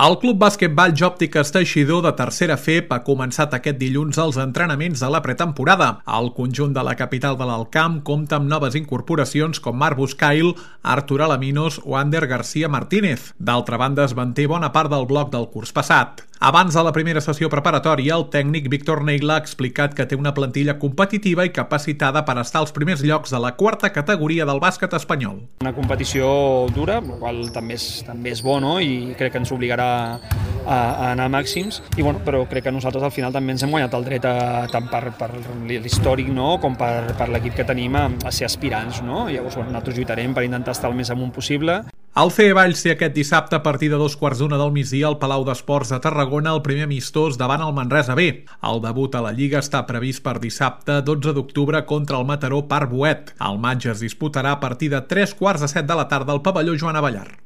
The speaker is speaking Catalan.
El Club Bàsquetball Jòptiques Teixidor de tercera FEP ha començat aquest dilluns els entrenaments de la pretemporada. El conjunt de la capital de l'Alcamp compta amb noves incorporacions com Marc Buscail, Artur Alaminos o Ander García Martínez. D'altra banda, es manté bona part del bloc del curs passat. Abans de la primera sessió preparatòria, el tècnic Víctor Neila ha explicat que té una plantilla competitiva i capacitada per estar als primers llocs de la quarta categoria del bàsquet espanyol. Una competició dura, el qual també és bo, no? I crec que ens obligarà a anar a màxims, però crec que nosaltres al final també ens hem guanyat el dret tant per l'històric, no? Com per l'equip que tenim a ser aspirants, no? Llavors nosaltres lluitarem per intentar estar el més amunt possible. El CE Valls té aquest dissabte a partir de 2:15 del migdia al Palau d'Esports de Tarragona el primer amistós davant el Manresa B. El debut a la Lliga està previst per dissabte 12 d'octubre contra el Mataró Parc Boet. El matx es disputarà a partir de 3:15 de la tarda al pavelló Joan Abellar.